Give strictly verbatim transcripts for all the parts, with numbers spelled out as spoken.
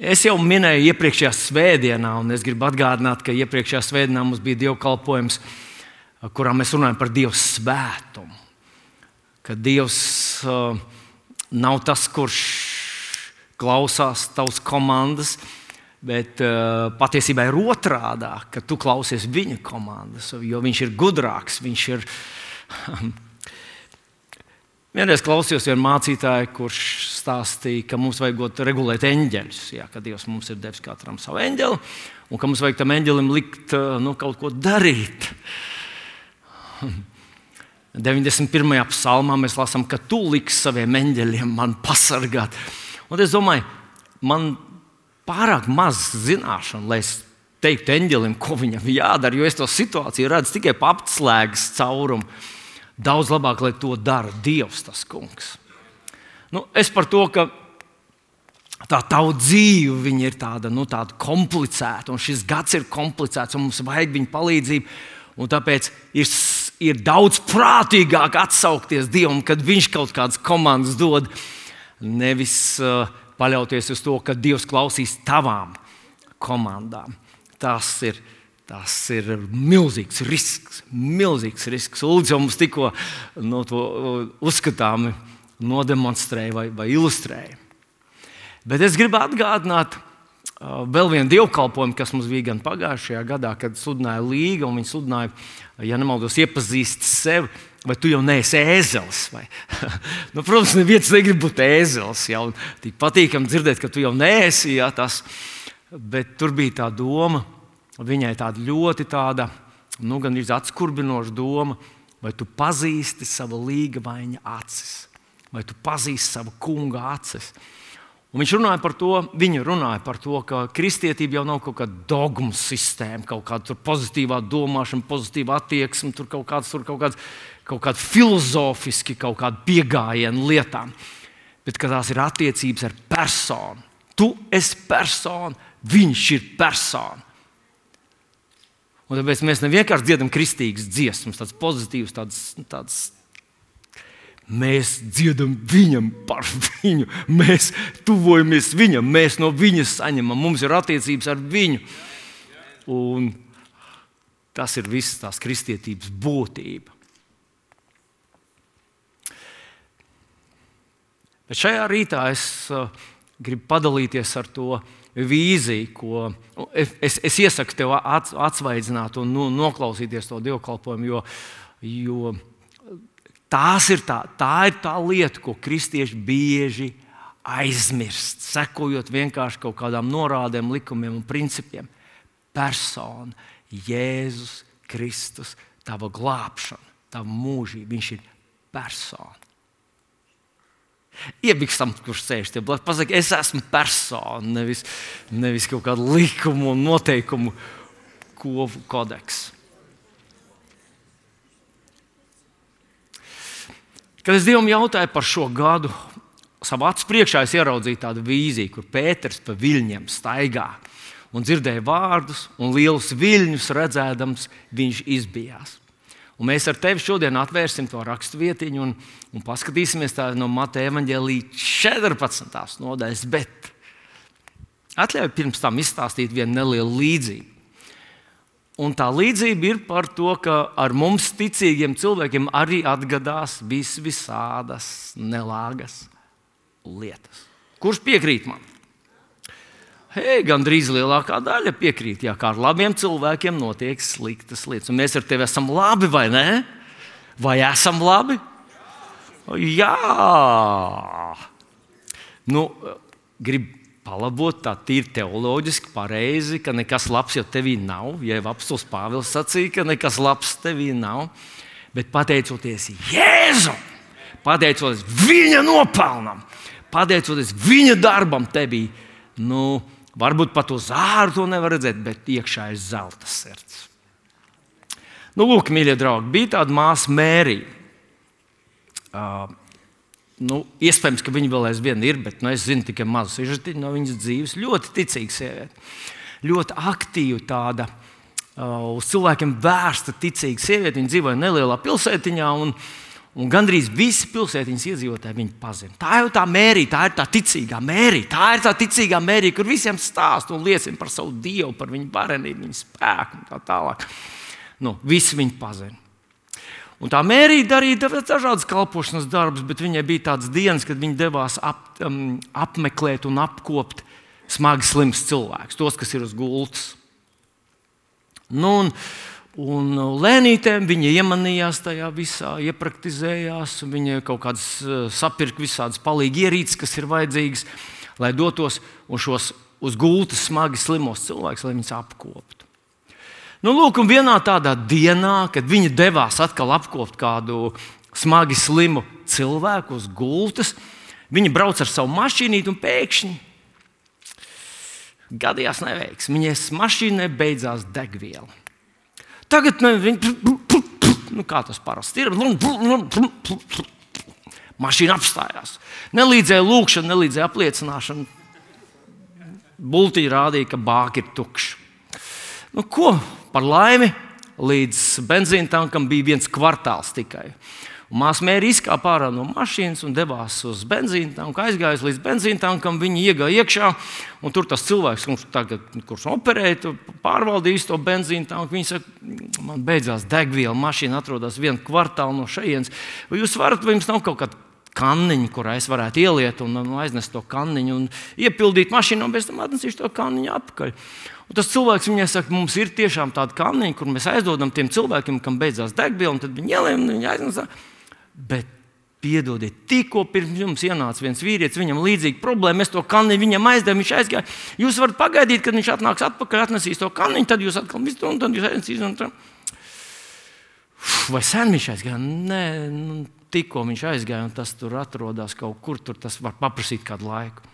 Es jau minēju iepriekšējā svētdienā, un es gribu atgādināt, ka iepriekšējā svētdienā mums bija dievkalpojums, kurā mēs runājam par Dieva svētumu. Ka Dievs uh, nav tas, kurš klausās tavas komandas, bet uh, patiesībā ir otrādā, ka tu klausies viņa komandas, jo viņš ir gudrāks, viņš ir... Vienreiz klausījos vienu mācītāju, kurš stāstīja, ka mums vajag regulēt eņģeļus. Jā, ka Dievs mums ir devis katram savu eņģeli, un ka mums vajag tam eņģelim likt nu, kaut ko darīt. deviņdesmit pirmajā psalmā mēs lasām, ka tu liksi saviem eņģeļiem man pasargāt. Un es domāju, man pārāk maz zināšanu, lai es teiktu eņģelim, ko viņam jādara, jo es to situāciju redzu tikai pa apslēgas caurumu. Daudz labāk, lai to dara Dievs, tas kungs. Nu, es par to, ka tā tava dzīve viņa ir tāda, nu, tāda komplicēta, un šis gads ir komplicēts, un mums vajag viņa palīdzību. Un tāpēc ir, ir daudz prātīgāk atsaukties Dievam, kad viņš kaut kādas komandas dod, nevis uh, paļauties uz to, ka Dievs klausīs tavām komandām. Tas ir. Tas ir milzīgs risks, milzīgs risks. Ulds jau mums tikko no to uzskatāmi nodemonstrēja vai, vai ilustrēja. Bet es gribu atgādināt uh, vēl vienu dievkalpojumu, kas mums bija gan pagājušajā gadā, kad sludināja Līga, un viņi sludināja, ja nemaldos, iepazīst sevi, vai tu jau neesi ēzelis. Vai? nu, protams, neviens negrib būt ēzelis, ja, un tik patīkami dzirdēt, ka tu jau neesi, ja, tas, bet tur bija tā doma. Viņai tāda ļoti tāda, nu, gan ir atskurbinoša doma, vai tu pazīsti savu līgavaņa acis, vai tu pazīsti savu kunga acis. Un viņš runāja par to, viņa runāja par to, ka kristietība jau nav kaut kāda dogmu sistēma, kaut kāda pozitīvā domāšana, pozitīva attieksme, tur kaut kāds, tur kaut kāds, kaut kāda filozofiski, kaut kāda piegājiena lietām, bet ka tās ir attiecības ar personu. Tu esi persona, viņš ir persona. Un tāpēc mēs ne vienkārši dziedam kristīgas dziesmas, tādas pozitīvas, tādas, tādas. Mēs dziedam viņam par viņu, mēs tuvojamies viņam, mēs no viņa saņemam, mums ir attiecības ar viņu. Un tas ir viss tās kristietības būtība. Bet šajā rītā es uh, gribu padalīties ar to vīziju, ko es, es iesaku tev atsvaidzināt un nu, noklausīties to dievkalpojumu, jo, jo tās ir tā, tā ir tā lieta, ko kristieši bieži aizmirst, sekojot vienkārši kaut kādām norādēm, likumiem un principiem. Persona, Jēzus Kristus, tava glābšana, tava mūžība, viņš ir persona. Iebikstam, kurš sēž tie blakus, pasaka, es esmu persona, nevis, nevis kaut kādu likumu un noteikumu kodeks. Kad es Dievam jautāju par šo gadu, savā acu priekšā es ieraudzīju tādu vīziju, kur Pēters pa viļņiem staigā un dzirdēja vārdus un lielus viļņus redzēdams, viņš izbijās. Un mēs ar tevi šodien atvērsim to raksturvietiņu un, un paskatīsimies tā no Mateja evaņģēlija četrpadsmitās nodaļas, bet atļauj pirms tam izstāstīt vienu nelielu līdzību. Un tā līdzība ir par to, ka ar mums ticīgiem cilvēkiem arī atgadās vis visādas nelāgas lietas. Kurš piekrīt man? Hei, gandrīz lielākā daļa piekrīt, jā, kā ar labiem cilvēkiem notiek sliktas lietas. Un mēs ar tevi esam labi, vai ne? Vai esam labi? Jā! Nu, gribu palabot tā tīri teoloģiski pareizi, ka nekas labs jau tevī nav. Ja apostols Pāvils sacīja, ka nekas labs tevī nav. Bet pateicoties Jēzum, pateicoties viņa nopelnam, pateicoties viņa darbam tevī, nu, varbūt pat uz āru to nevar redzēt, bet iekšā ir zelta sirds. Nu, lūk, mīļie draugi, bija tāda māsa Mērija. Uh, nu, iespējams, ka viņa vēl aizvien ir, bet nu, es zinu tikai mazu sižetiņu no viņas dzīves. Ļoti ticīga sieviete. Ļoti aktīva tāda, uh, uz cilvēkiem vērsta ticīga sieviete. Viņa dzīvoja nelielā pilsētiņā un, Un gandrīz visi pilsētiņas iedzīvotāji viņu pazina. Tā jau tā Mērija, tā ir tā ticīgā Mērija, tā ir tā ticīgā Mērija, kur visiem stāst un liecina par savu Dievu, par viņu varenību, viņu spēku un tā tālāk. Nu, visi viņu pazina. Un tā Mērija darīja dažādas kalpošanas darbus, bet viņai bija tādas dienas, kad viņa devās ap, um, apmeklēt un apkopt smagi slims cilvēkus, tos, kas ir uz gultas. Nu, un, Un lēnītēm viņa iemanījās tajā visā, iepraktizējās, viņa kaut kādas sapirka visādas palīgi ierīces, kas ir vajadzīgas, lai dotos un šos uz gultas smagi slimos cilvēkus, lai viņus apkoptu. Nu, lūk, un vienā tādā dienā, kad viņa devās atkal apkopt kādu smagi slimu cilvēku uz gultas, viņa brauc ar savu mašīnīti un pēkšņi gadījās neveiksme. Viņai mašīnai beidzās degviela. Tagad ne, viņi, nu, kā tas parasti ir, mašīna apstājās. Nelīdzēja lūkšana, nelīdzēja apliecināšana. Bultiņa rādīja, ka bāka ir tukša. Nu, ko par laimi, līdz benzīna tankam bija viens kvartāls tikai. Māsa Mērija izkāpa ārā no mašīnas un devās uz benzīna tanku. Aizgājusi līdz benzīna tankam, viņa iegāja iekšā. Un tur tas cilvēks, kurš, tagad, kurš operēja, pārvaldīja to benzīna tanku. Viņš saka, man beidzās degviela, mašīna atrodas vienu kvartālu no šejienes. Vai jūs varat, vai jums nav kaut kāda kanniņa, kurā es varētu ieliet un, un aiznest to kanniņu un iepildīt mašīnu, un pēc tam atnesīšu to kanniņu atpakaļ. Un tas cilvēks viņai saka, mums ir tiešām tāda kanniņa, kur mēs aizdodam tiem cilvēkiem, kam beidzās degviela, un tad viņi ielien un viņi aiznes. Bet, piedodiet, tikko pirms jums ienāca viens vīrietis, viņam līdzīga problēma, mēs to kanniņu viņam aizdevam, viņš aizgāja. Jūs varat pagaidīt, kad viņš atnāks atpakaļ, atnesīs to kanniņu, tad jūs atkal visu to, un tad jūs ainesīs. Un tā. Vai sen viņš aizgāja? Nē, nu, tikko viņš aizgāja, un tas tur atrodas kaut kur, tur tas var paprasīt kādu laiku.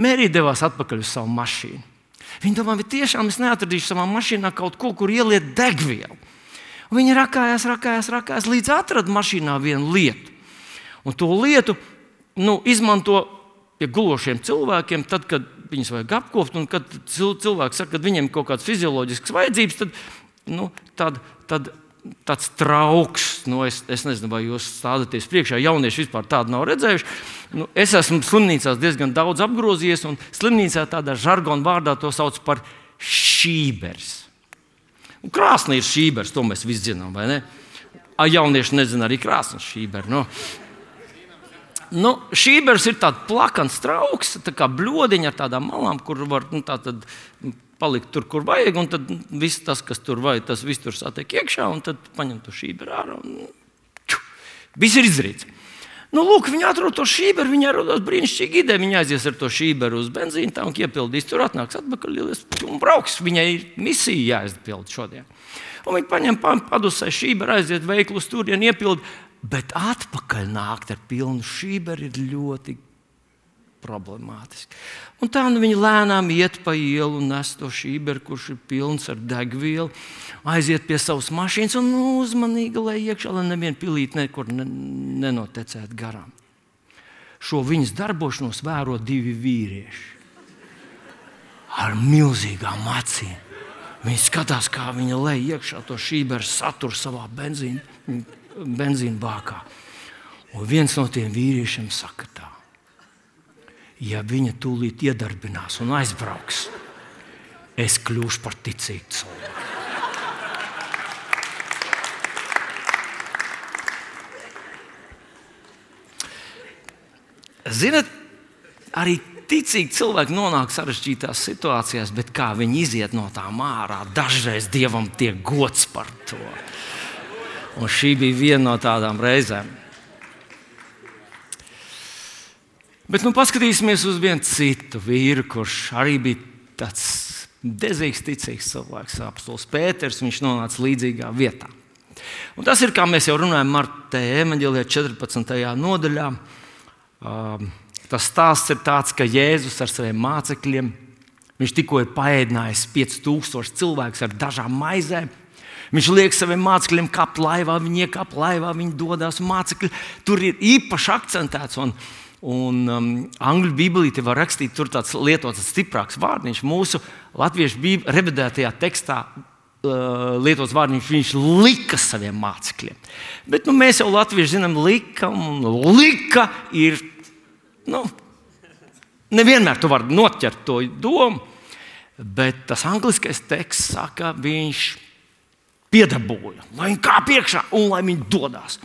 Mērija devās atpakaļ uz savu mašīnu. Viņa domā, vai tiešām es neatradīšu savā mašīnā kaut ko, kur ieliet degvielu. Un viņa rakājās, rakājās, rakājās, līdz atrada mašīnā vienu lietu. Un to lietu nu, izmanto pie gulošiem cilvēkiem, tad, kad viņus vajag apkopt, un kad cilvēki saka, ka viņiem ir kaut kādas fizioloģiskas vajadzības, tad, nu, tad, tad tāds trauks, nu, es, es nezinu, vai jūs stādaties priekšā, jaunieši vispār tādu nav redzējuši. Nu, es esmu slimnīcās diezgan daudz apgrozījies, un slimnīcā tādā žargona vārdā to sauc par šībers. Un krāsni ir šībers, to mēs visi zinām, vai ne? A, jaunieši nezina arī krāsnes šīberi. No. Nu, šībers ir tāds plakans trauks, tā kā bļodiņa ar tādām malām, kur var nu, tā tad palikt tur, kur vajag, un tad viss tas, kas tur vajag, tas viss tur satiek iekšā, un tad paņem to šīberu ārā, un ču, viss ir izdarīts. Nu, lūk, viņi atrod to šīberu, viņi atrodas brīnišķīgi ideja, viņi aizies ar to šīberu uz benzīna tanku, iepildīs, tur atnāks atpakaļ un brauks, viņai ir misija jāizpild šodien. Un viņi paņem padusē šīberu, aiziet veiklus turien, iepild, bet atpakaļ nākt ar pilnu šīberu ir ļoti problemātiski. Un tā nu viņi lēnām iet pa ielu un nes to šīberu, kurš ir pilns ar degvielu, aiziet pie savas mašīnas un nu, uzmanīgi, lai iekšā, lai neviena pilīte nekur nenotecētu garām. Šo viņas darbošanos vēro divi vīrieši ar milzīgām acīm. Viņi skatās, kā viņa lej iekšā to šīberu saturu savā benzīna, benzīna bākā. Un viens no tiem vīriešiem saka tā. Ja viņa tūlīt iedarbinās un aizbrauks, es kļūšu par ticīgu cilvēku. Zinat, arī ticīgi cilvēki nonāk sarežģītās situācijās, bet kā viņi iziet no tām ārā, dažreiz Dievam tiek gods par to. Un šī bija viena no tādām reizēm. Bet nu paskatīsimies uz vienu citu vīru, kurš arī bija tāds dezīgs, ticīgs cilvēks, apostols Pēters, viņš nonāca līdzīgā vietā. Un tas ir, kā mēs jau runājam Mateja evaņģēlijā četrpadsmitajā nodaļā. Uh, tas stāsts ir tāds, ka Jēzus ar saviem mācekļiem, viņš tikko ir paēdinājis pieci tūkstoši cilvēkus ar dažām maizēm. Viņš liek saviem mācekļiem kapt laivā, viņi iekāp laivā, viņi dodas mācekļi. Tur ir īpaši akcentēts, un, un um, angļu bībelīte var rakstīt, tur tāds lietots stiprāks vārdiņš. Mūsu latviešu bībeli revidētajā tekstā lietots vārds, viņš lika saviem mācekļiem. Bet nu, mēs jau latvieši zinām, lika un lika ir, nu, nevienmēr tu vari noķert to domu, bet tas angliskais teksts saka, viņš piedabūja, lai viņi kā priekšā un lai viņi dodās.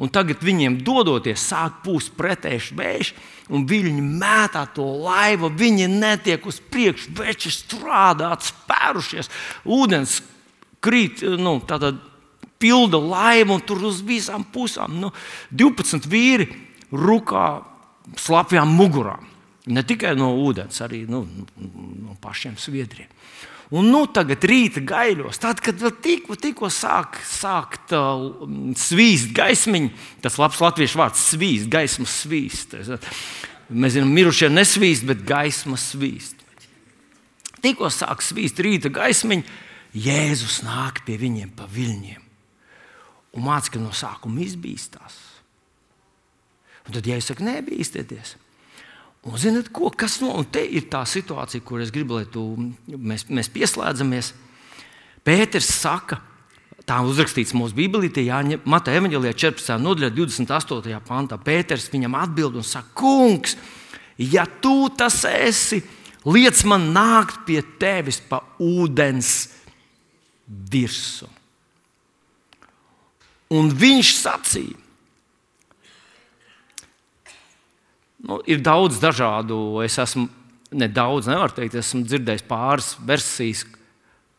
Un tagad viņiem dodoties, sāk pūst pretēji vējš, un viļņi mētā to laivu, viņi netiek uz priekšu, veči strādā, spērušies, ūdens krīt, nu, tātad pilda laivu, un tur uz visām pusām, nu, divpadsmit vīri rukā slapjām mugurām. Ne tikai no ūdens, arī nu, no pašiem sviedriem. Un nu, tagad rīta gaiļos, tad, kad vēl tikko, tikko sāk, sākt uh, svīst gaismiņi, tas labs latviešu vārds svīst, gaismas svīst. Mēs zinām, mirušie nesvīst, bet gaisma svīst. Tikko sāk svīst rīta gaismiņi, Jēzus nāk pie viņiem pa viļņiem. Un mācekļi no sākuma izbīstās. Un tad Jēzus saka, nebīstieties. Un zināt, ko, kas no, un te ir tā situācija, kur es gribu, lai tu, mēs, mēs pieslēdzamies. Pēters saka, tā uzrakstīts mūsu Bībelītē, Mateja evaņģēlijā četrpadsmitajā nodaļā divdesmit astotajā pantā. Pēters viņam atbild un saka, kungs, ja tu tas esi, liec man nākt pie tevis pa ūdens virsu. Un viņš sacīja, nu, ir daudz dažādu, es esmu, ne daudz, nevaru teikt, esmu dzirdējis pāris versijas.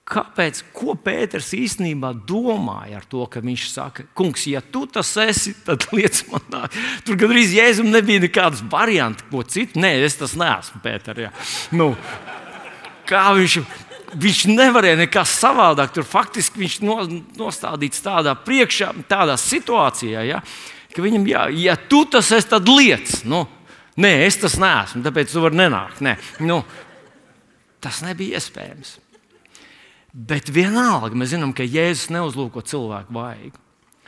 Kāpēc, ko Pēters īstenībā domāja ar to, ka viņš saka, kungs, ja tu tas esi, tad liec man nāk. Tur gandrīz Jēzum nebija nekādas varianti, ko citu. Nē, es tas neesmu, Pēter. Jā. Nu, kā viņš, viņš nevarēja nekā savādāk. Tur faktiski viņš nostādīts tādā priekšā, tādā situācijā, ja, ka viņam, jā, ja tu tas esi, tad liec. Nu, nē, es tas neesmu, tāpēc tu vari nenākt. Nē. Nu, tas nebija iespējams. Bet vienalga mēs zinām, ka Jēzus neuzlūko cilvēku vaigu.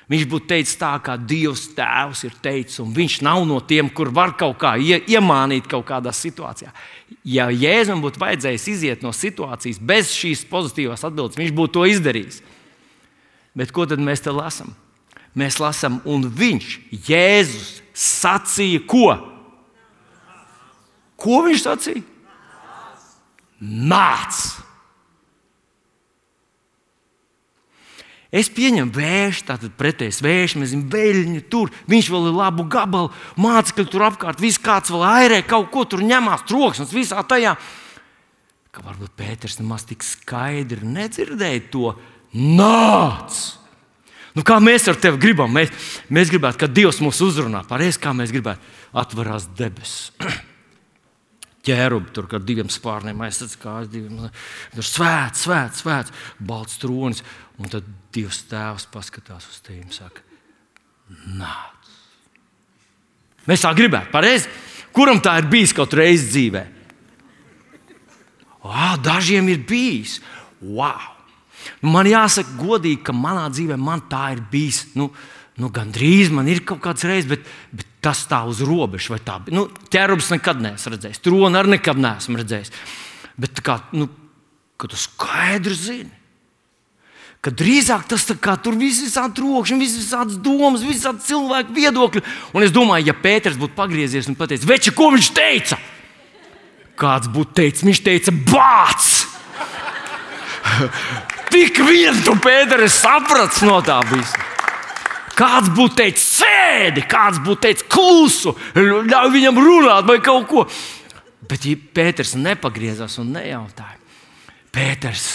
Viņš būtu teicis tā, kā Dievs Tēvs ir teicis, un viņš nav no tiem, kur var kaut kā ie, iemānīt kaut kādā situācijā. Ja Jēzum būtu vajadzējis iziet no situācijas bez šīs pozitīvās atbildes, viņš būtu to izdarījis. Bet ko tad mēs te lasām? Mēs lasām, un viņš, Jēzus, sacīja ko? Ko viņš sacīja? Nāc! Es pieņemu vējš, tātad pretējs vējš, mēs zinām, veļņi tur, viņš vēl ir labu gabalu, mācekļi tur apkārt, viss kāds vēl airē, kaut ko tur ņemās, troksnis visā tajā. Ka varbūt Pēters nemaz tik skaidri nedzirdēja to nāc! Nu, kā mēs ar tevi gribam? Mēs, mēs gribētu, ka Dievs mūs uzrunā. Pareizi, kā mēs gribētu. Atverās debesis. Ķērubi tur, kad diviem spārniem aizsats kājas, diviem. Tur svēts, svēts, svēts, balts tronis. Un tad Dievs Tēvs paskatās uz tevi un saka, nāc. Mēs tā gribētu, pareizi? Kuram tā ir bijis kaut reizi dzīvē? Ā, dažiem ir bijis. Wow! Man jāsaka godīgi, ka manā dzīvē man tā ir bijis. Nu, nu gandrīz man ir kaut kāds reizes, bet, bet tas tā uz robežu. Vai tā, nu, ķērubs nekad neesmu redzējis. Troni arī nekad neesmu redzējis. Bet kā, nu, ka tu skaidri zini, ka drīzāk tas tā kā tur viss visādi trokšņi, viss visādas domas, visādi cilvēku viedokļi. Un es domāju, ja Pēters būtu pagriezies un pateicis, veči, ko viņš teica? Kāds būtu teicis? Viņš teica, bāc! Tik vien tu, Pēter, es saprats no tā visa. Kāds būtu teicis, sēdi, kāds būtu teicis, klusu, ļauj viņam runāt vai kaut ko. Bet ja Pēters nepagriezās un nejautāja, Pēters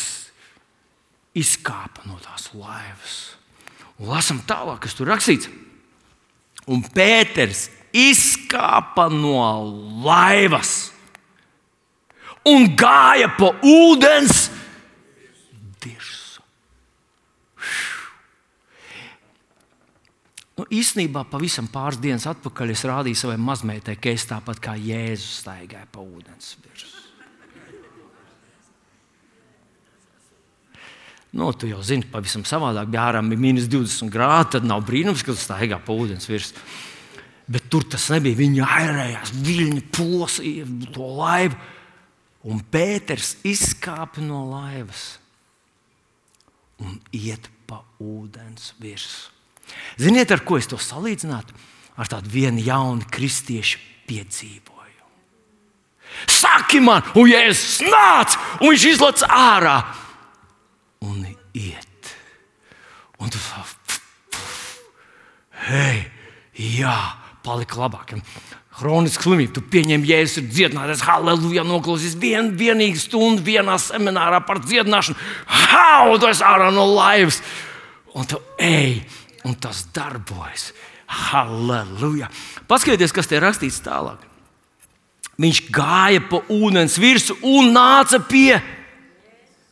izkāpa no tās laivas. Un lasam tālāk, kas tur rakstīts. Un Pēters izkāpa no laivas un gāja pa ūdens dirsu. Nu, īstenībā pavisam pāris dienas atpakaļ es rādīju savai mazmeitai, ka es tāpat kā Jēzus staigāju pa ūdens dirsu. Nu, tu jau zini, pavisam savādāk, ja ārā bija mīnus divdesmit grādi, tad nav brīnums, ka tu staigā pa ūdens virsmu. Bet tur tas nebija. Viņi airējās, viļņi plosīja to laivu. Un Pēters izkāpa no laivas un iet pa ūdens virsmu. Ziniet, ar ko es to salīdzinātu? Ar tādu vienu jaunu kristiešu piedzīvoju. Saki man, un Jēzus nāc, un viņš izlec ārā un iet. Un tu hei, jā, palika labāk. Hroniska slimība, tu pieņem Jēzus ir dziedinātājs, halleluja, noklausīs vien, vienīgi stundu vienā seminārā par dziedināšanu. Hau, tu esi ārā no laivas. Un tu ej, un tas darbojas. Halleluja. Paskatieties, kas te rakstīts tālāk. Viņš gāja pa ūdens virsu un nāca pie,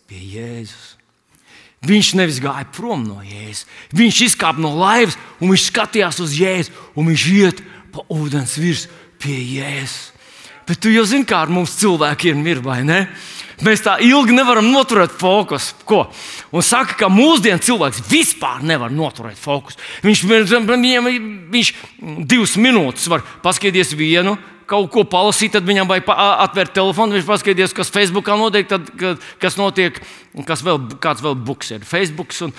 pie Jēzus. Viņš nevis gāja prom no Jēzus. Viņš izkāpa no laivas un viņš skatījās uz Jēzu un viņš iet pa ūdens virsu pie Jēzus. Bet tu jau zini, kā ar mums cilvēkiem ir, vai ne? Mēs tā ilgi nevaram noturēt fokusu. Ko? Un saka, ka mūsdienu cilvēks vispār nevar noturēt fokusu. Viņš, viņam, viņš divas minūtes var paskatīties vienu, kaut ko palasīt, tad viņam vajag atvērt telefonu, viņš paskatīties, kas Facebookā notiek, tad, kas notiek, kas vēl, kāds vēl buks ir, Facebooks un,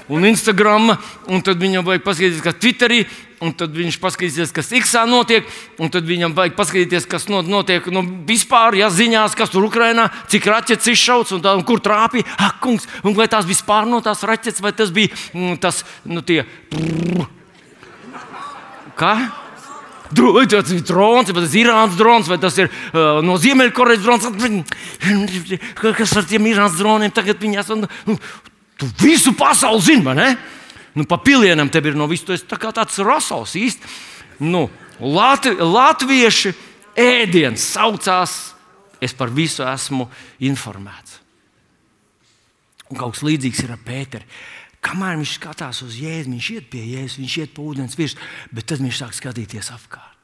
un Instagram, un tad viņam vajag paskatīties, kas Twitterī, un tad viņš paskatīsies, kas Xā notiek, un tad viņam vajag paskatīties, kas notiek nu, vispār, ja ziņās, kas tur Ukrainā, cik raķetes izšauts, un, tā, un kur trāpīja, ah, kungs, un vai tās vispār no tās raķetes, vai tas bija mm, tas, nu tie, kā? Vai tas ir drons, vai tas ir Irānas drons, vai tas ir uh, no Ziemeļkorejas drons. Kas ar tiem Irānas droniem tagad viņās? Nu, tu visu pasauli zini, vai ne? Nu, pa pilienam tev ir no visu. Tu esi tā kā tāds rasals īsti. Nu, Latvi, latvieši ēdiens saucās, es par visu esmu informēts. Un kaut kas līdzīgs ir ar Pēteri. Kamēr viņš skatās uz Jēzu, viņš iet pie Jēzus, viņš iet pa ūdens virsmu, bet tad viņš sāk skatīties apkārt.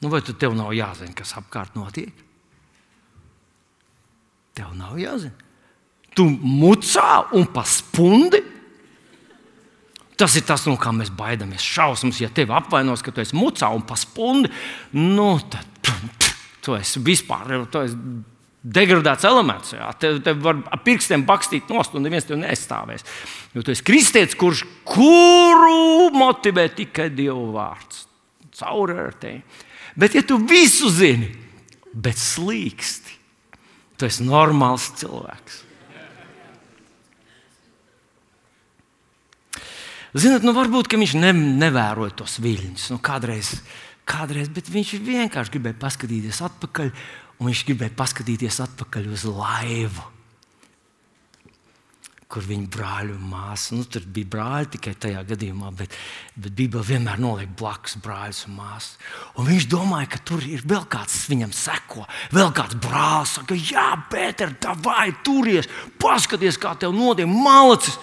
Nu, vai tu tev nav jāzina, kas apkārt notiek? Tev nav jāzina. Tu mucā un pa spundi. Tas ir tas, no kā mēs baidamies. Šausmas, ja tevi apvainos, ka tu esi mucā un pa spundi, nu tad tu esi vispār, tu esi degradēts elements. Jā. Tev, tev var ar pirkstiem bakstīt nost, un neviens tev neaizstāvēs. Jo tu esi kristietis, kurš kuru motivē tikai Dieva vārds. Cauri ar tevi. Bet ja tu visu zini, bet slīksti, tu esi normāls cilvēks. Zināt, nu varbūt, ka viņš ne, nevēroja tos viļņus. Nu, kādreiz, kādreiz, bet viņš vienkārši gribēja paskatīties atpakaļ, un viņš gribēja paskatīties atpakaļ uz laivu, kur viņa brāļi un māsa. Nu, tur bija brāļi tikai tajā gadījumā, bet, bet Bībele vienmēr noliek blakus brāļus un māsas. Un viņš domāja, ka tur ir vēl kāds viņam seko, vēl kāds brālis saka, jā, Pēter, davai, turies, paskaties, kā tev notiek, malacis.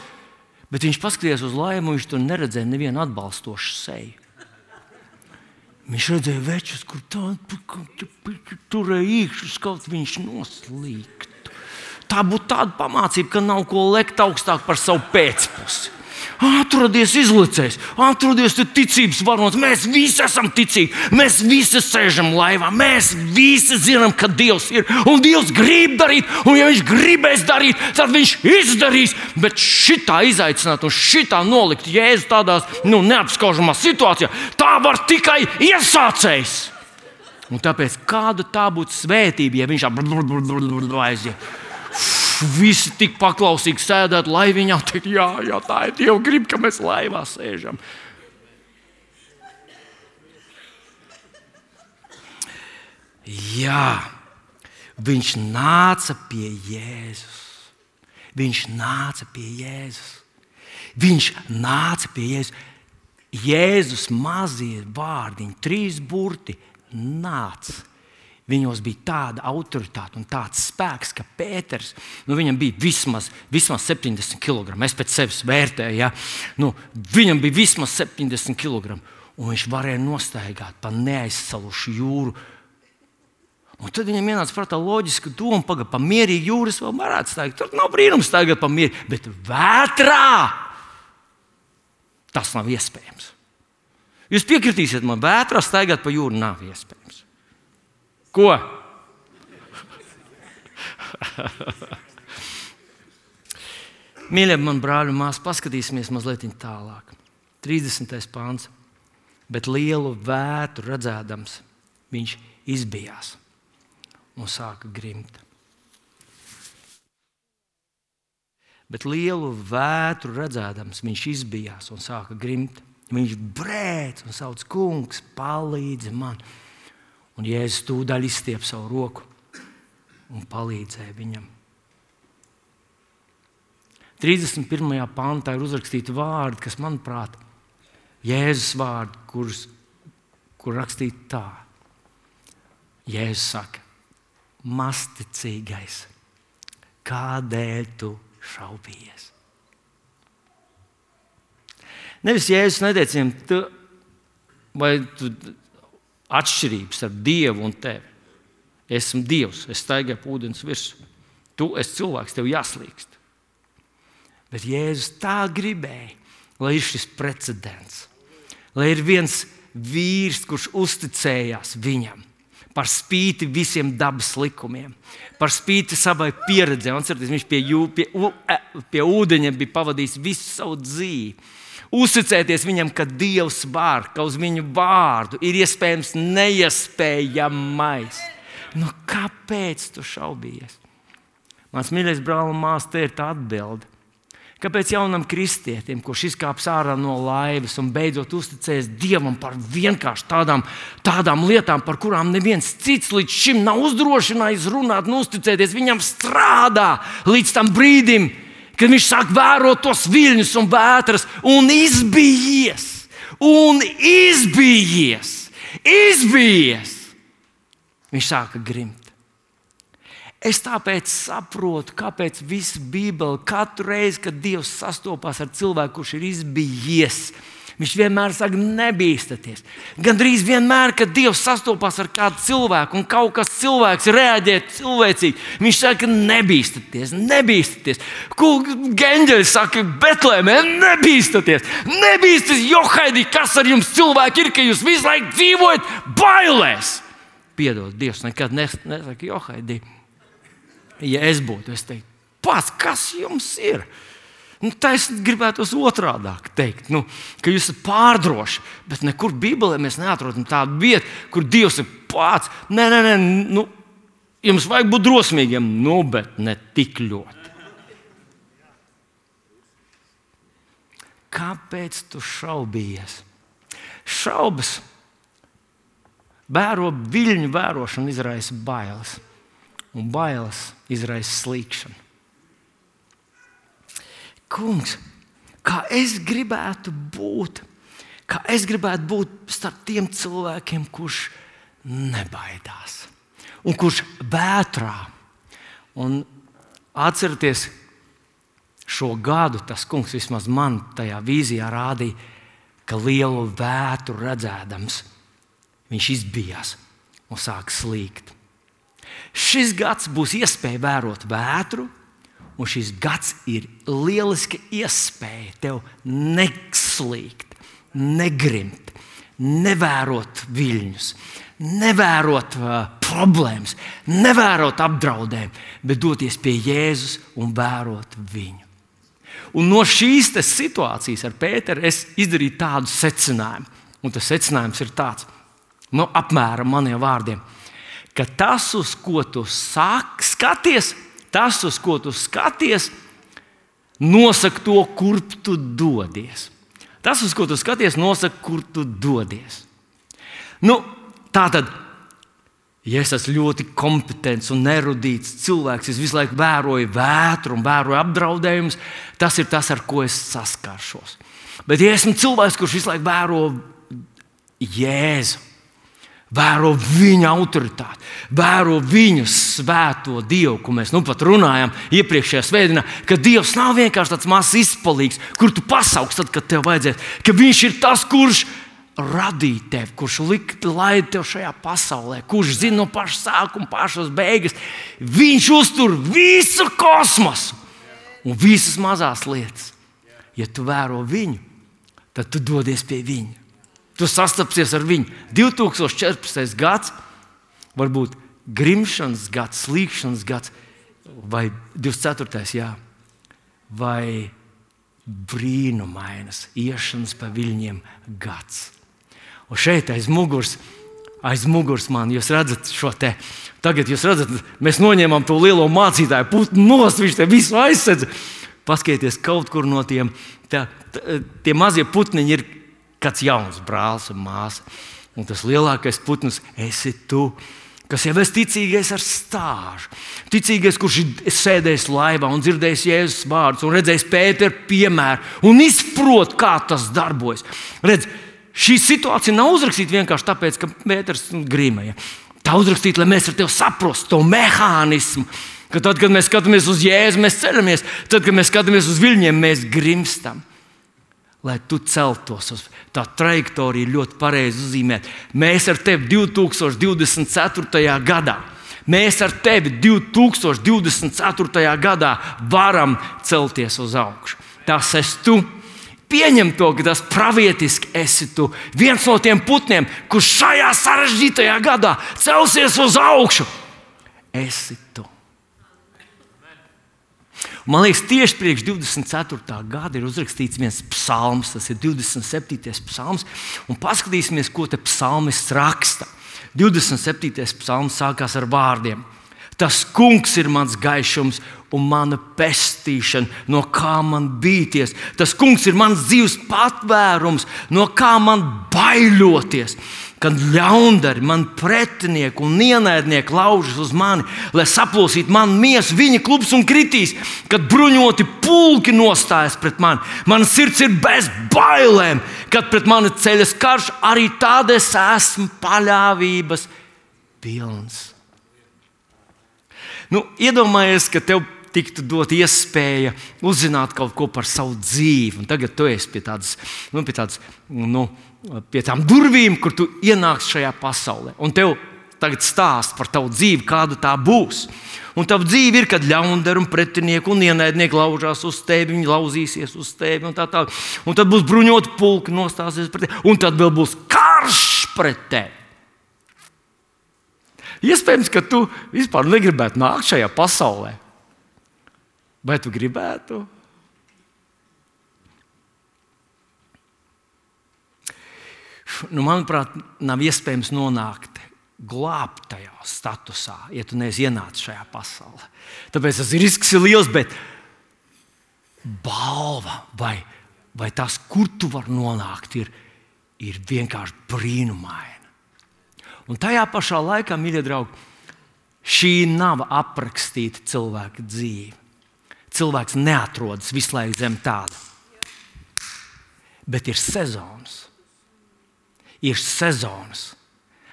Bet viņš paskatījās uz laivu, un viņš tur neredzēja nevienu atbalstošu seju. Viņš redzēja večus, kur tādu turēja īkšķus, kaut viņš noslīgtu. Tā būtu tāda pamācība, ka nav ko lekt augstāk par savu pēcpusi. Atrodies izlicējs, atrodies ticības varonis. Mēs visi esam ticīgi, mēs visi sēžam laivā, mēs visi zinām, ka Dievs ir. Un Dievs grib darīt, un ja viņš gribēs darīt, tad viņš izdarīs. Bet šitā izaicināt un šitā nolikt Jēzu tādās nu, neapskaužamās situācijā, tā var tikai iesācējs. Un tāpēc kāda tā būtu svētība, ja viņš aiziet. Visi tik paklausīgi sēdēt laiviņā, teikt, jā, jā, tā ir Dieva grib, ka mēs laivā sēžam. Jā, viņš nāca pie Jēzus. Viņš nāca pie Jēzus. Viņš nāca pie Jēzus. Jēzus mazie vārdiņi, trīs burti, nāca. Viņos bija tāda autoritāte un tāds spēks, ka Pēters, nu, viņam bija vismaz, vismaz septiņdesmit kilogramu. Es pēc sevis vērtēju, ja? Nu, viņam bija vismaz septiņdesmit kilogramu. Un viņš varēja nostaigāt pa neaizsalušu jūru. Un tad viņam ienāca prātā loģiska doma, paga, pa mierīgu jūras vēl varētu staigāt. Tur nav brīnums staigāt pa mierīgu, bet vētrā tas nav iespējams. Jūs piekritīsiet man, vētrā staigāt pa jūru nav iespējams. Ko? Mīļie, man brāļi un māsas, paskatīsimies mazliet tālāk. trīsdesmitais pāns. Bet lielu vētru redzēdams, viņš izbijās un sāka grimt. Bet lielu vētru redzēdams, viņš izbijās un sāka grimt. Viņš brēc un sauc: Kungs, palīdzi man. Un Jēzus tūdaļ izstiep savu roku un palīdzēja viņam. trīsdesmit pirmajā pantā ir uzrakstīti vārdi, kas, manuprāt, Jēzus vārdi, kurus, kur rakstīti tā. Jēzus saka: Mazticīgais, kādēļ tu šaubījies? Nevis Jēzus neteica viņam, tu, vai tu atšķirības ar Dievu un tevi. Esmu Dievs, es staigāju pa ūdens virsmu. Tu esi cilvēks, tev jāslīkst. Bet Jēzus tā gribēja, lai ir šis precedents. Lai ir viens vīrs, kurš uzticējās viņam par spīti visiem dabas likumiem, par spīti savai pieredzei. Atcerieties, viņš pie, jū, pie, pie ūdeņa bija pavadījis visu savu dzīvi. Uzticēties viņam, ka Dievs var, ka uz viņu vārdu ir iespējams neiespējamais. Nu, kāpēc tu šaubījies? Mans mīļais brāl un māsa, te ir tā atbilde. Kāpēc jaunam kristietim, kurš izkāps ārā no laivas un beidzot uzticējas Dievam par vienkārši tādām, tādām lietām, par kurām neviens cits līdz šim nav uzdrošinājis runāt un uzticēties, viņam strādā līdz tam brīdim, kad viņš sāk vērot tos viļņus un vētras un izbijies, un izbijies, izbijies. Viņš sāka grimt. Es tāpēc saprotu, kāpēc visa Bībele katru reizi, kad Dievs sastopās ar cilvēku, kurš ir izbijies, viņš vienmēr saka: nebīstaties. Gandrīz vienmēr, kad Dievs sastopās ar kādu cilvēku un kaut kas cilvēks reaģē cilvēcīgi, viņš saka: nebīstaties, nebīstaties. Eņģeļi saka: Betlēmē, nebīstaties, nebīstaties, Johaidī, kas ar jums cilvēki ir, ka jūs visu laiku dzīvojat bailēs. Piedod, Dievs nekad nesaka: Johaidī. Ja es būtu, es teiktu: pats, kas jums ir? Nu, tā es gribētu otrādāk teikt, nu, ka jūs esat pārdroši, bet nekur Bībelē mēs neatrodam tādu vietu, kur Dievs ir pats. Nē, nē, nē, nu, jums vajag būt drosmīgiem, nu, bet ne tik ļoti. Kāpēc tu šaubījies? Šaubas, vēro viļņu vērošanu, izraisa bailes. Un bailes izraisa slīkšanu. Kungs, kā es gribētu būt, kā es gribētu būt starp tiem cilvēkiem, kurš nebaidās un kurš vētrā. Un atcerieties, šo gadu tas kungs vismaz man tajā vīzijā rādīja, ka lielu vētru redzēdams, viņš izbijās un sāk slīgt. Šis gads būs iespēja vērot vētru, un šis gads ir lieliska iespēja tev neslīgt, negrimt, nevērot viļņus, nevērot uh, problēmas, nevērot apdraudējumu, bet doties pie Jēzus un vērot viņu. Un no šīs situācijas ar Pēteru es izdarīju tādu secinājumu, un tas secinājums ir tāds, nu, apmēram maniem vārdiem, ka tas, uz ko tu sāk, skaties, tas, uz ko tu skaties, nosaka to, kur tu dodies. Tas, uz ko tu skaties, nosaka, kur tu dodies. Nu, tā tad, ja es esmu ļoti kompetents un erudīts cilvēks, es visu laiku vēroju vētru un vēroju apdraudējumus, tas ir tas, ar ko es saskaršos. Bet, ja esmu cilvēks, kurš visu laiku vēro Jēzu, vēro viņa autoritāti, vēro viņu svēto Dievu, ko mēs nu pat runājām iepriekšējā svētdienā, ka Dievs nav vienkārši tāds mazs izpalīgs, kur tu pasauks tad, kad tev vajadzēs, ka viņš ir tas, kurš radīja tevi, kurš lika laid tev šajā pasaulē, kurš zina no paša sākuma, pašas beigas. Viņš uztur visu kosmosu un visas mazās lietas. Ja tu vēro viņu, tad tu dodies pie viņa. Tu sastapsies ar viņu. divi tūkstoši četrpadsmitais gads, varbūt grimšanas gads, slīkšanas gads, vai divdesmit ceturtais jā, vai brīnumainas iešanas pa viļņiem gads. Un šeit aiz muguras, aiz muguras man, jūs redzat šo te, tagad jūs redzat, mēs noņēmām to lielo mācītāju putnu nost, viņš te visu aizsedz. Paskatieties kaut kur no tiem, tā, tā, tie mazie putniņi ir kāds jauns brālis un māsa. Un tas lielākais putns esi tu, kas jau esi ticīgais ar stāžu. Ticīgais, kurš ir sēdējis laivā un dzirdējis Jēzus vārdus un redzējis Pēteru piemēru un izprot, kā tas darbojas. Redz, šī situācija nav uzrakstīta vienkārši tāpēc, ka Pēters grimēja. Tā uzrakstīta, lai mēs ar tevi saprastu to mehānismu, ka tad, kad mēs skatāmies uz Jēzu, mēs ceļamies, tad, kad mēs skatāmies uz viļņiem, mēs grimstam. Lai tu celtos uz tā trajektorija ļoti pareizi uzzīmēt. Mēs ar tevi divtūkstoš divdesmit ceturtajā gadā, mēs ar tevi divtūkstoš divdesmit ceturtajā gadā varam celties uz augšu. Tas esi tu. Pieņem to, ka tas pravietiski esi tu. Viens no tiem putniem, kurš šajā sarežģītajā gadā celsies uz augšu, esi tu. Man liekas, tieši priekš divdesmit ceturtā gada ir uzrakstīts viens psalms, tas ir divdesmit septītais psalms, un paskatīsimies, ko te psalmists raksta. divdesmit septītais psalms sākās ar vārdiem: Tas kungs ir mans gaišums un mana pestīšana, no kā man bīties. Tas kungs ir mans dzīves patvērums, no kā man baiļoties. Kad ļaundari, man pretinieki un ienaidnieki laužas uz mani, lai saplosītu manu miesu, viņa klubs un kritīs. Kad bruņoti pulki nostājas pret mani, mana sirds ir bez bailēm. Kad pret mani ceļas karš, arī tad es esmu paļāvības pilns. Nu, iedomājies, ka tev tiktu dot iespēja uzzināt kaut ko par savu dzīvi. Un tagad tu esi pie tādas, nu, pie tādas, nu, pie tām durvīm, kur tu ienāksi šajā pasaulē. Un tev tagad stāst par tavu dzīvi, kāda tā būs. Un tava dzīve ir, kad ļaundari un pretinieki un ienaidnieki laužās uz tevi, viņi lauzīsies uz tevi un tā tālāk. Un tad būs bruņoti pulki, nostāsies pret tevi. Un tad vēl būs karš pret tevi. Iespējams, ka tu vispār negribētu nākt šajā pasaulē. Vai tu gribētu? Nu, manuprāt, nav iespējams nonākt glābtajā statusā, ja tu neesi ienācis šajā pasaulē. Tāpēc tas risks ir liels, bet balva vai, vai tas, kur tu vari nonākt, ir, ir vienkārši brīnumaina. Un tajā pašā laikā, mīļie draugi, šī nav aprakstīta cilvēka dzīve. Cilvēks neatrodas visu laiku zem tāda. Bet ir sezonas. Ir sezonas.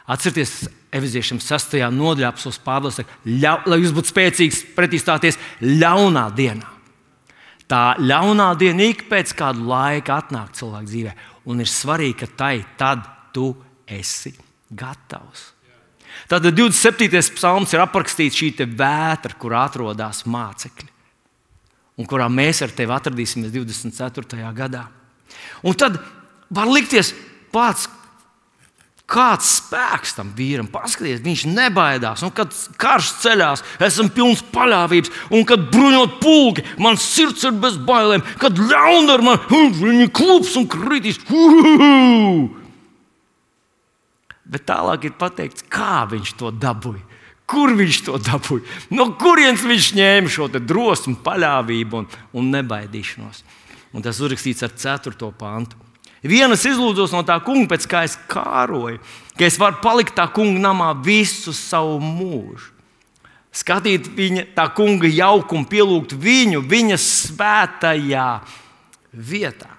Atcerieties, Efeziešiem sastajā nodaļā apsolus Pāvils saka, lai jūs būtu spēcīgs pretīstāties ļaunā dienā. Tā ļaunā diena ik pēc kāda laika atnāk cilvēka dzīvē. Un ir svarīgi, ka tai tad tu esi gatavs. Tātad divdesmit septītais psalms ir aprakstīts šī te vētra, kur atrodas mācekļi. Un kurā mēs ar tevi atradīsimies divdesmit ceturtajā gadā. Un tad var likties pats, kāds spēks tam vīram. Paskaties, viņš nebaidās. Un kad karš ceļās, esam pilns paļāvības. Un kad bruņot pulki, man sirds ir bez bailēm. Kad ļaundari man, viņi klubs un kritīs. Uhuhu! Bet tālāk ir pateikts, kā viņš to dabūja. Kur viņš to dabūja? No kurienes viņš ņēma šo drosmi, paļāvību un, un nebaidīšanos? Un tas uzrakstīts ar ceturto pantu. Vienas izlūdzos no tā kunga, pēc kā es kāroju, ka es varu palikt tā kunga namā visu savu mūžu. Skatīt viņa, tā kunga jaukumu, pielūgt viņu, viņa svētajā vietā.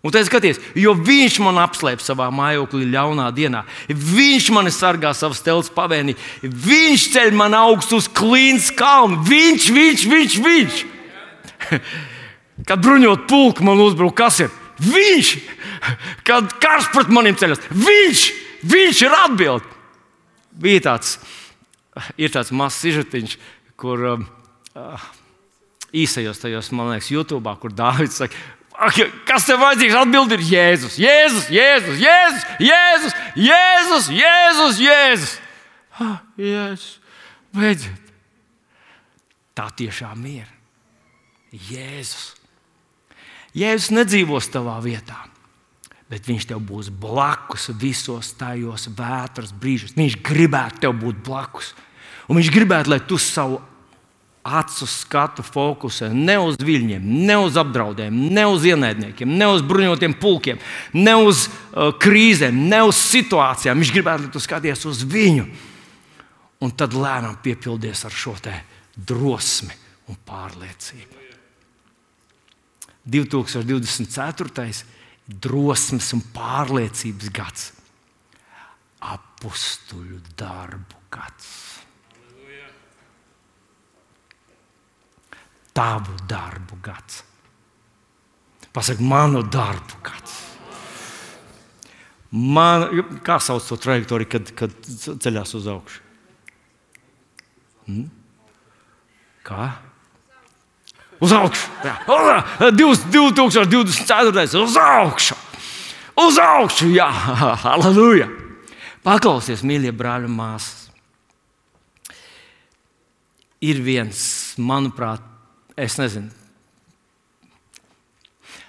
Un tad skaties, jo viņš man apslēp savā mājoklī ļaunā dienā. Viņš mani sargā savas telts pavēnī. Viņš ceļ man augstu uz klīnas kalnu. Viņš, viņš, viņš, viņš. Kad bruņot pulku man uzbruk, kas ir? Viņš. Kad karš pret maniem ceļas. Viņš. Viņš ir atbild. Bija tāds, ir tāds mazs sižetiņš, kur uh, īsajos tajos, man liekas, YouTube, kur Dāvids saka, kas tev vajadzīgs? Atbildi ir Jēzus. Jēzus, Jēzus, Jēzus, Jēzus, Jēzus, Jēzus, Jēzus. Ah, Jēzus, beidziet. tā tiešām ir. Jēzus. Jēzus nedzīvos tavā vietā, bet viņš tev būs blakus visos tajos vētras brīžos. Viņš gribētu tev būt blakus. Un viņš gribētu, lai tu savu acu skatu fokusē ne uz viļņiem, ne uz apdraudējumu, ne uz ienaidniekiem, ne uz bruņotiem pulkiem, ne uz uh, krīzēm, ne uz situācijām. Viņš gribētu, lai tu skaties uz viņu. Un tad lēnām piepildies ar šo te drosmi un pārliecību. divtūkstoš divdesmit ceturtais drosmes un pārliecības gads. Apustuļu darbu gads. Tavu darbu gads. Pasaka, manu darbu gads. Man, kā sauc to trajektoriju, kad, kad ceļās uz augšu? Hmm? Kā? Uz augšu. divtūkstoš divdesmit ceturtais Uz augšu. Uz augšu, jā. Halleluja. Paklausies, mīļie brāļi un māsas. Ir viens, manuprāt, es nezinu.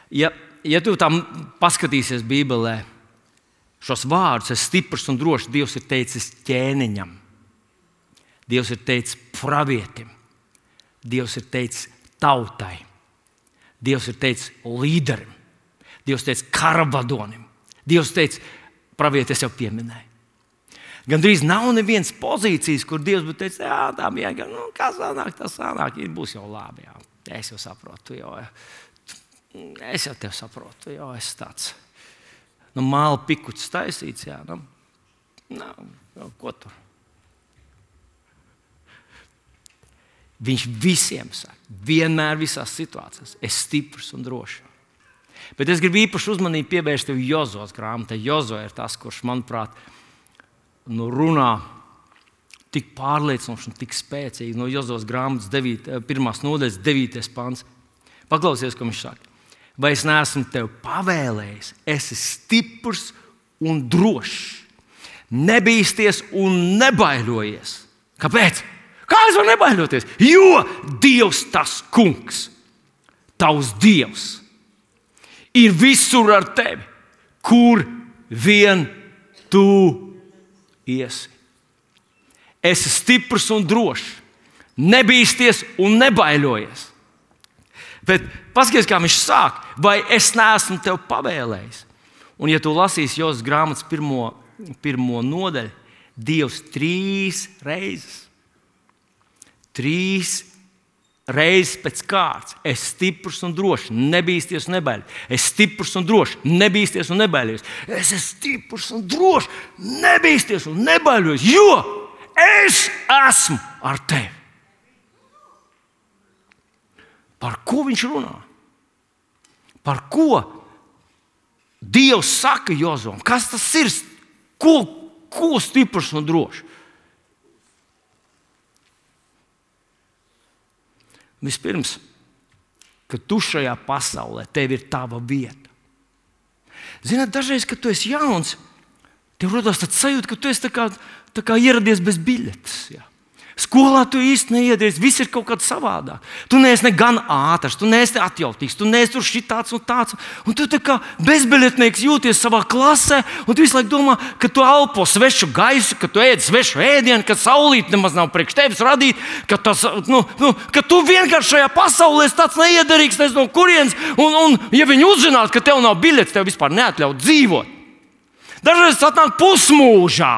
Ja, ja tu tam paskatīsies Bībelē, šos vārdus, es stiprs un drošs, Dievs ir teicis ķēniņam. Dievs ir teicis pravietim. Dievs ir teicis tautai. Dievs ir teicis līderim. Dievs teica karavadonim. Dievs teica, pravieti, es jau pieminēju. Gan drīz nav nevienas pozīcijas, kur Dievs būtu teicis, jā, tā vienkārši, nu, kas sanāk, tas sanāk, būs jau labi, jā. Es jau saprotu, jo, es jau tev saprotu, jo es tāds, nu, māla pikuts taisīts, jā, nu, nu, ko tur? Viņš visiem saka, vienmēr visās situācijās, es stiprs un drošs. Bet es gribu īpaši uzmanību pievērst tev Jozos grāmatai. Jozo ir tas, kurš, manuprāt, nu, runā tik pārliecinoši un tik spēcīgi. No Jozos grāmatas pirmās nodaļas devītais pants. Paklausies, ko viņš saka. Vai es neesmu tev pavēlējis, esi stiprs un drošs, nebīsties un nebaiļojies. Kāpēc? Kā es varu nebaiļoties? Jo Dievs tas kungs, tavs Dievs, ir visur ar tevi, kur vien tu iesi. Esi stiprs un drošs, nebīsties un nebaiļojies. Bet paskaties, kā viņš sāk, vai es neesmu tev pavēlējis. Un ja tu lasīsi Jozas grāmatas pirmo, pirmo nodaļu, Dievs trīs reizes, trīs reizes pēc kārtas, es stiprs un drošs, nebīsties un nebaiļojies. Es stiprs un drošs, nebīsties un nebaiļojies. Es esmu stiprs un drošs, nebīsties un nebaiļojies, jo es esmu ar tevi. Par ko viņš runā? Par ko Dievs saka Jozom? Kas tas ir? Ko, ko stiprs un drošs? Vispirms, ka tu šajā pasaulē, tev ir tava vieta. Ziniet, dažreiz, kad tu esi jauns, tev rodas tāds sajūta, ka tu esi tā kā, tā kā ieradies bez biļetes. Jā. Skolā tu īsti neiedies, viss ir kaut kāds savādāk. Tu neesi ne gan ātrs, tu neesi atjautīgs, tu neesi tur šitāds un tāds. Un tu tā kā bezbiļetnieks jūties savā klasē, un tu visu laiku domā, ka tu elpo svešu gaisu, ka tu ēd svešu ēdienu, ka saulīte nemaz nav priekš tevis radīta, ka, tas, nu, nu, ka tu vienkārši šajā pasaulē esi tāds neiederīgs, nezinu no kurienes, un, un ja viņi uzzinātu, ka tev nav biļetes, tev vispār neatļaut dzīvot. Dažreiz tas atnāk pusmūžā.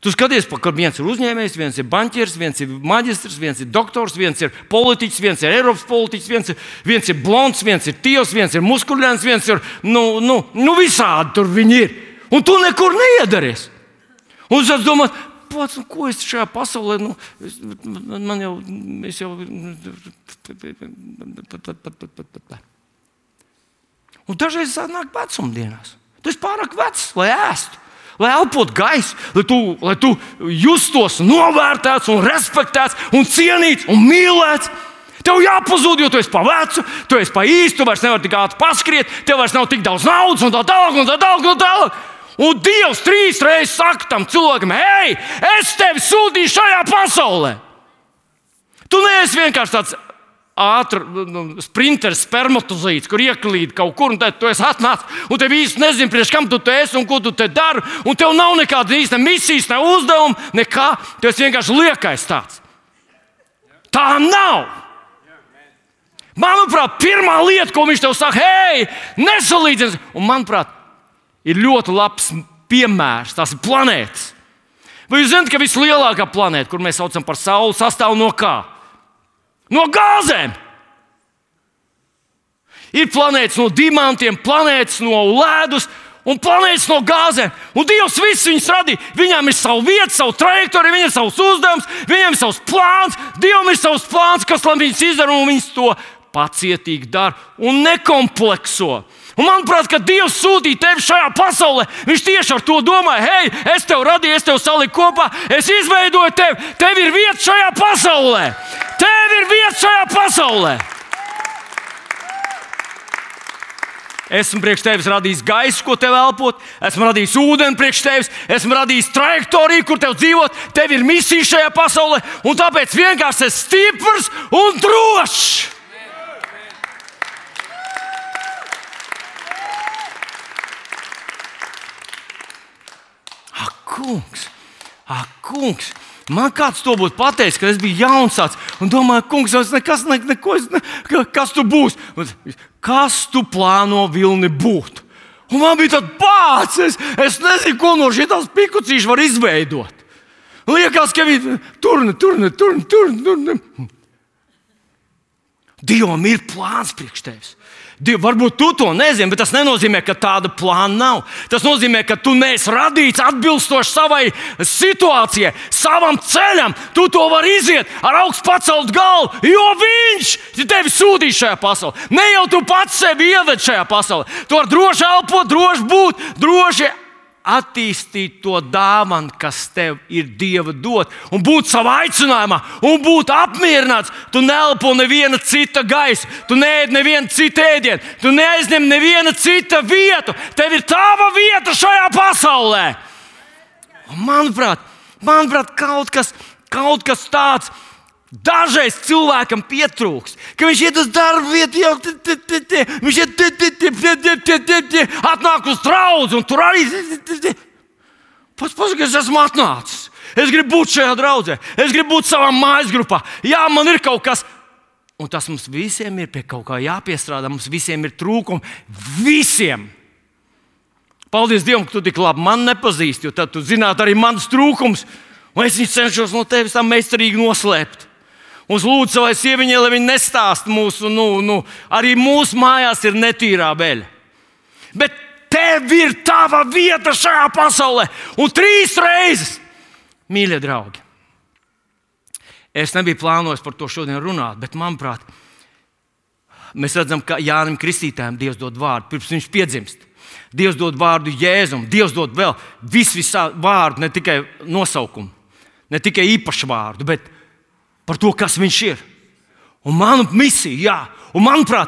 Tu skaties, ka viens ir uzņēmējs, viens ir banķieris, viens ir maģistrs, viens ir doktors, viens ir politiķis, viens ir Eiropas politiķis, viens ir, viens ir blonds, viens ir tievs, viens ir muskuļains, viens ir nu, nu, nu visādi tur viņi ir. Un tu nekur neiedaries. Un es domāju, pats, nu, ko es šajā pasaulē, nu, es, man jau, es jau... Un dažreiz nāk vecumdienās. Tu esi pārāk vecs, lai ēstu. Lai elpotu gaisu, lai tu, lai tu justos novērtēts un respektēts un cienīts un mīlēts. Tev jāpazūd, jo tu esi pa vecu, tu esi pa īstu, tu vairs nevari tik ātri paskriet, tev vairs nav tik daudz naudas un tā tālāk un tā tālāk un tā tālāk. Un Dievs trīs reizes saka tam cilvēkam, hei, es tevi sūtīju šajā pasaulē. Tu neesi vienkārši tāds ātrs sprinteris, spermatozīts, kur ieklīd kaut kur, un tad tu esi atnācis, un tev īsti nezini, priekš kam tu te esi un ko tu te dari, un tev nav nekāda īsta misijas, ne uzdevuma, nekā. Tu esi vienkārši liekais tāds. Tā nav. Manuprāt, pirmā lieta, ko viņš tev saka, hei, nesalīdzinies, un manuprāt, ir ļoti labs piemērs, tās ir planētas. Vai jūs zināt, ka vislielākā planēta, kur mēs saucam par Sauli, sastāv no kā? No gāzēm. Ir planētas no dimantiem, planētas no ledus un planētas no gāzēm. Un Dievs visus viņus radīja. Viņām ir sava vieta, savu trajektoriju, viņiem ir savs uzdevums, viņiem ir savs plāns. Dievam ir savs plāns, kas lai viņus izdara, un viņus to pacietīgi dara un nekomplekso. Un manuprāt, kad Dievs sūtīja tevi šajā pasaulē, viņš tieši ar to domāja, hei, es tevi radīju, es tevi saliku kopā, es izveidoju tevi, tev ir vieta šajā pasaulē. Tev ir vieta šajā pasaulē. Esmu priekš tevis radījis gaisu, ko tev elpot, esmu radījis ūdeni priekš tevis, esmu radījis trajektoriju, kur tev dzīvot, tev ir misija šajā pasaulē, un tāpēc vienkārši esi stiprs un drošs. Kungs, ak, kungs, man kāds to būtu pateicis, kad es biju jauns tāds, un domāju, kungs, es nekas, ne, neko, es ne, kas tu būs? Kas tu plāno Vilni būt? Un man bija tāds bāds, es, es nezinu, ko no šitās pikucīši var izveidot. Liekas, ka viņi turni, turni, turni, turni, turni. Dievam ir plāns priekš tevis. Diev, varbūt tu to nezini, bet tas nenozīmē, ka tāda plāna nav. Tas nozīmē, ka tu neesi radīts atbilstoši savai situācijai, savam ceļam. Tu to vari iziet ar augstu pacelt galvu, jo viņš tevi sūtīs šajā pasaulē. Ne jau tu pats sevi ieved šajā pasaulē. Tu vari droši elpot, droši būt, droši attīstīt to dāvanu, kas tev ir Dieva dot, un būt savā aicinājumā, un būt apmierināts. Tu neelpo neviena cita gaisa, tu neēd neviena cita ēdienu, tu neaizņem neviena cita vietu. Tev ir tava vieta šajā pasaulē. Un manuprāt, manuprāt kaut kas, kaut kas tāds dažreiz cilvēkam pietrūks, ka viņš iet uz darbu vietu, jau t, t, t, t, viņš iet, t, t, t, t, t, t, t, t, atnāk uz draudzi, un tur arī. Pats pasaka, es esmu atnācis. Es gribu būt šajā draudzē, es gribu būt savā mājas grupā. Jā, man ir kaut kas, un tas mums visiem ir pie kaut kā jāpiestrādā, mums visiem ir trūkumi. Visiem! Paldies Dievam, ka tu tik labi man nepazīsti, jo tad tu zinātu arī manas trūkumus, un es viņus cenšos no tevis tā meistarīgi noslēpt. Un es lūdzu savai sieviņai, lai viņi nestāst mūsu, nu, nu, arī mūsu mājās ir netīrā beļa. Bet tev ir tava vieta šajā pasaulē. Un trīs reizes, mīļie draugi, es nebiju plānojis par to šodien runāt, bet manuprāt, mēs redzam, ka Jānim Kristītājam Dievs dod vārdu, pirms viņš piedzimst. Dievs dod vārdu Jēzum, Dievs dod vēl visu visā vārdu, ne tikai nosaukumu, ne tikai īpašu vārdu, bet par to, kas viņš ir. Un manu misiju, jā, un manuprāt,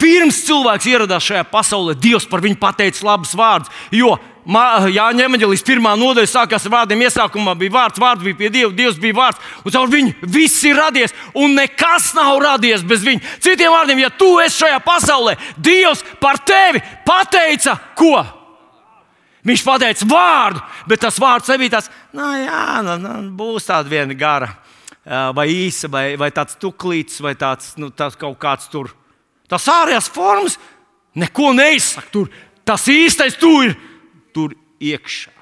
pirms cilvēks ieradās šajā pasaulē, Dievs par viņu pateica labus vārdus, jo Jāņa evaņģēlijas pirmā nodaļa sākās ar vārdiem, iesākumā bija vārds, vārds bija pie Dieva, Dievs bija vārds, un caur viņu viss ir radies, un nekas nav radies bez viņa. Citiem vārdiem, ja tu esi šajā pasaulē, Dievs par tevi pateica ko? Viņš pateica vārdu, bet tas vārds nebija tāds, nu jā, nu, nu, būs tāda viena gara, vai īsa, vai, vai tāds tuklīts, vai tāds, nu, tāds kaut kāds tur. Tas ārējās formas neko neizsaka tur. Tas īstais tur ir tur iekšā.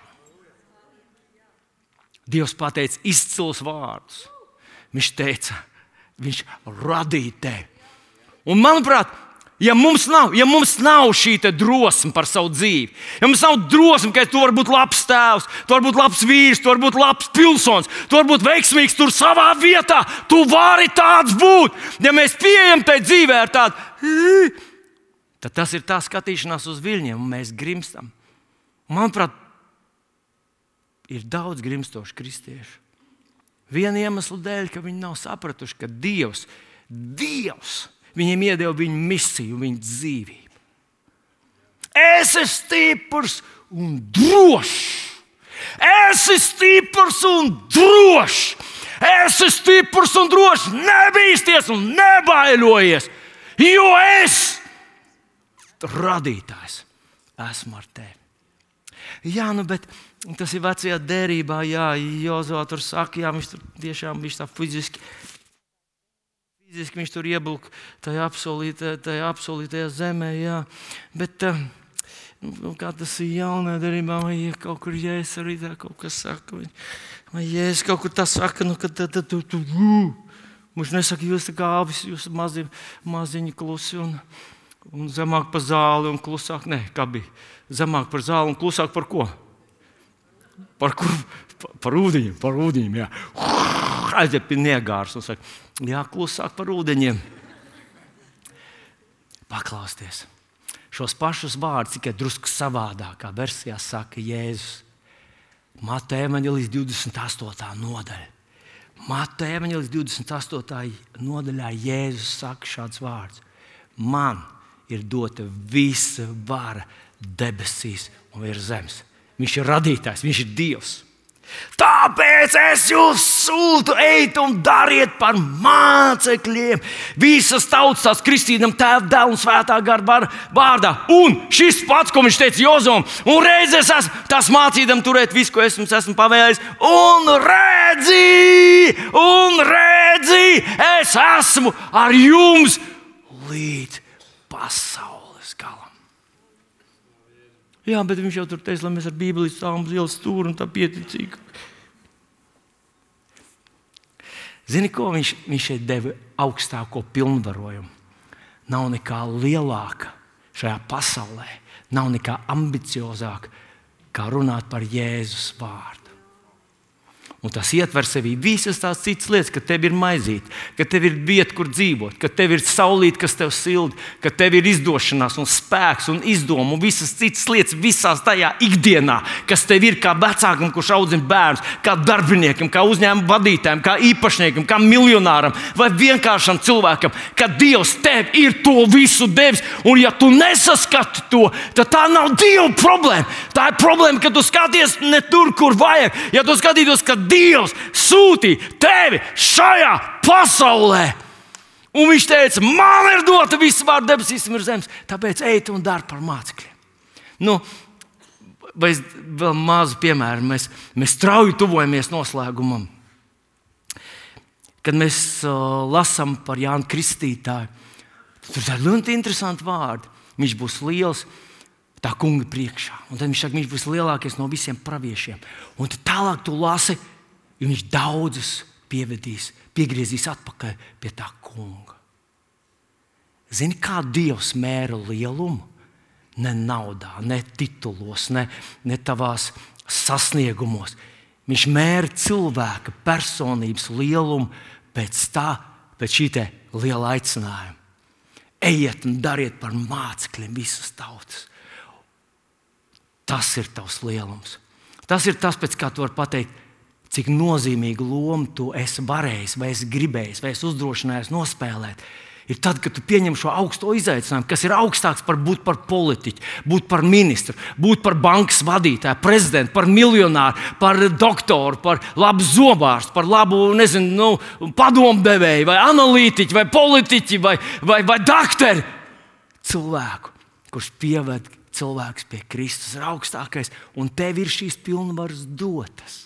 Dievs pateica izcils vārdus. Viņš teica, viņš radīja tevi. Un manuprāt, ja mums nav, ja mums nav šī drosme par savu dzīvi, ja mums nav drosme, ka tu vari būt labs tēvs, tu vari būt labs vīrs, tu vari būt labs pilsonis, tu vari būt veiksmīgs tur savā vietā, tu vari tāds būt. Ja mēs pieejam tai dzīvē ar tādu, tad tas ir tā skatīšanās uz viļņiem, un mēs grimstam. Manuprāt, ir daudz grimstošu kristiešu. Viena iemesla dēļ, ka viņi nav sapratuši, ka Dievs, Dievs viņiem iedeva viņu misiju, viņu dzīvību. Es esmu stiprs un drošs. Es esmu stiprs un drošs. Esi stiprs un drošs, nebīsties un nebaiļojies, jo es, radītājs, esmu ar tevi. Jā, nu, bet tas ir vecajā derībā, jā, Jozua tur saka, jā, viņš tur tiešām viņš tā fiziski, fiziski viņš tur iebilk tajā apsolītajā, tajā apsolītajā zemē, jā, bet nu, kā tas ir jaunajā derībā, vai ja kaut kur Jēzus arī tā kaut kas saka, vai, vai Jēzus kaut kur tā saka, nu, kad tad tu, tu, viņš nesaka, jūs tā kā avis, jūs mazi, maziņi klusi un, un zemāk par zāli un klusāk, ne, kā bija? Zemāk par zāli un klusāk par ko? Par kur? Par, par ūdeņiem, par ūdeņiem, jā. Aiziet pie niegārs un saka, jā, klusāk par ūdeņiem. Paklausties. Šos pašus vārdus tikai drusku savādākā versijā saka Jēzus. Mateja evaņģēlijas divdesmit astotā nodaļa. Mateja evaņģēlijas divdesmit astotā nodaļā Jēzus saka šāds vārds. Man ir dota visa vara debesīs un virs zemes. Viņš ir radītājs, viņš ir Dievs. Tāpēc es jūs sūtu, ejiet un dariet par mācekļiem visas tautas, tās kristīdam Tēva, Dēla un Svētā gara vārdā. Un šis pats, ko viņš teica Jozuam, un reiz es esmu tās mācīdam turēt visu, ko es jums esmu pavēlējis, un redzi, un redzi, es esmu ar jums līdz pasaules galam. Jā, bet viņš jau tur teica, lai mēs ar Bībeli stāvam uz ielas stūri un tā pieticīgi. Zini, ko viņš, viņš šeit deva augstāko pilnvarojumu? Nav nekā lielāka šajā pasaulē, nav nekā ambiciozāka, kā runāt par Jēzus vārdu. Un tas ietver sevī visas tās citas lietas, ka tev ir maizīte, ka tev ir vieta, kur dzīvot, ka tev ir saulīte, kas tev silda, ka tev ir izdošanās un spēks un izdoma un visas citas lietas visās tajā ikdienā, kas tev ir kā vecākam, kurš audzina bērnus, kā darbiniekam, kā uzņēmuma vadītājam, kā īpašniekam, kā miljonāram vai vienkāršam cilvēkam, ka Dievs tev ir to visu devis. Un ja tu nesaskati to, tad tā nav Dieva problēma. Tā ir problēma, ka tu skaties ne tur, kur vajag. Ja tu skatītos, ka Dievs sūtīja tevi šajā pasaulē. Un viņš teica, man ir dota visa vārda debesīs un virs zemes, tāpēc ejiet un dari par mācekļiem. Nu, vai vēl mazu piemēru, mēs, mēs strauji tuvojamies noslēgumam. Kad mēs uh, lasām par Jānu Kristītāju, tur ir ļoti interesanti vārdi. Viņš būs liels tā kunga priekšā. Un tad viņš saka, viņš būs lielākais no visiem praviešiem. Un tad tālāk tu lasi, jo viņš daudzus pievedīs, piegriezīs atpakaļ pie tā kunga. Zini, kā Dievs mēra lielumu? Ne naudā, ne titulos, ne, ne tavās sasniegumos. Viņš mēra cilvēka personības lielumu pēc tā, pēc šī te liela aicinājuma. Ejiet un dariet par mācekļiem visas tautas. Tas ir tavs lielums. Tas ir tas, pēc kā tu vari pateikt, cik nozīmīgu lomu tu esi varējis, vai esi gribējis, vai esi uzdrošinājies nospēlēt. Ir tad, kad tu pieņem šo augsto izaicinājumu, kas ir augstāks par būt par politiķu, būt par ministru, būt par bankas vadītāju, prezidentu, par miljonāru, par doktoru, par labu zobārstu, par labu, nezinu, nu, padomdevēju, vai analītiķu, vai politiķi, vai, vai, vai dakteri. Cilvēku, kurš pieved cilvēks pie Kristus, ir augstākais, un tev ir šīs pilnvaras dotas.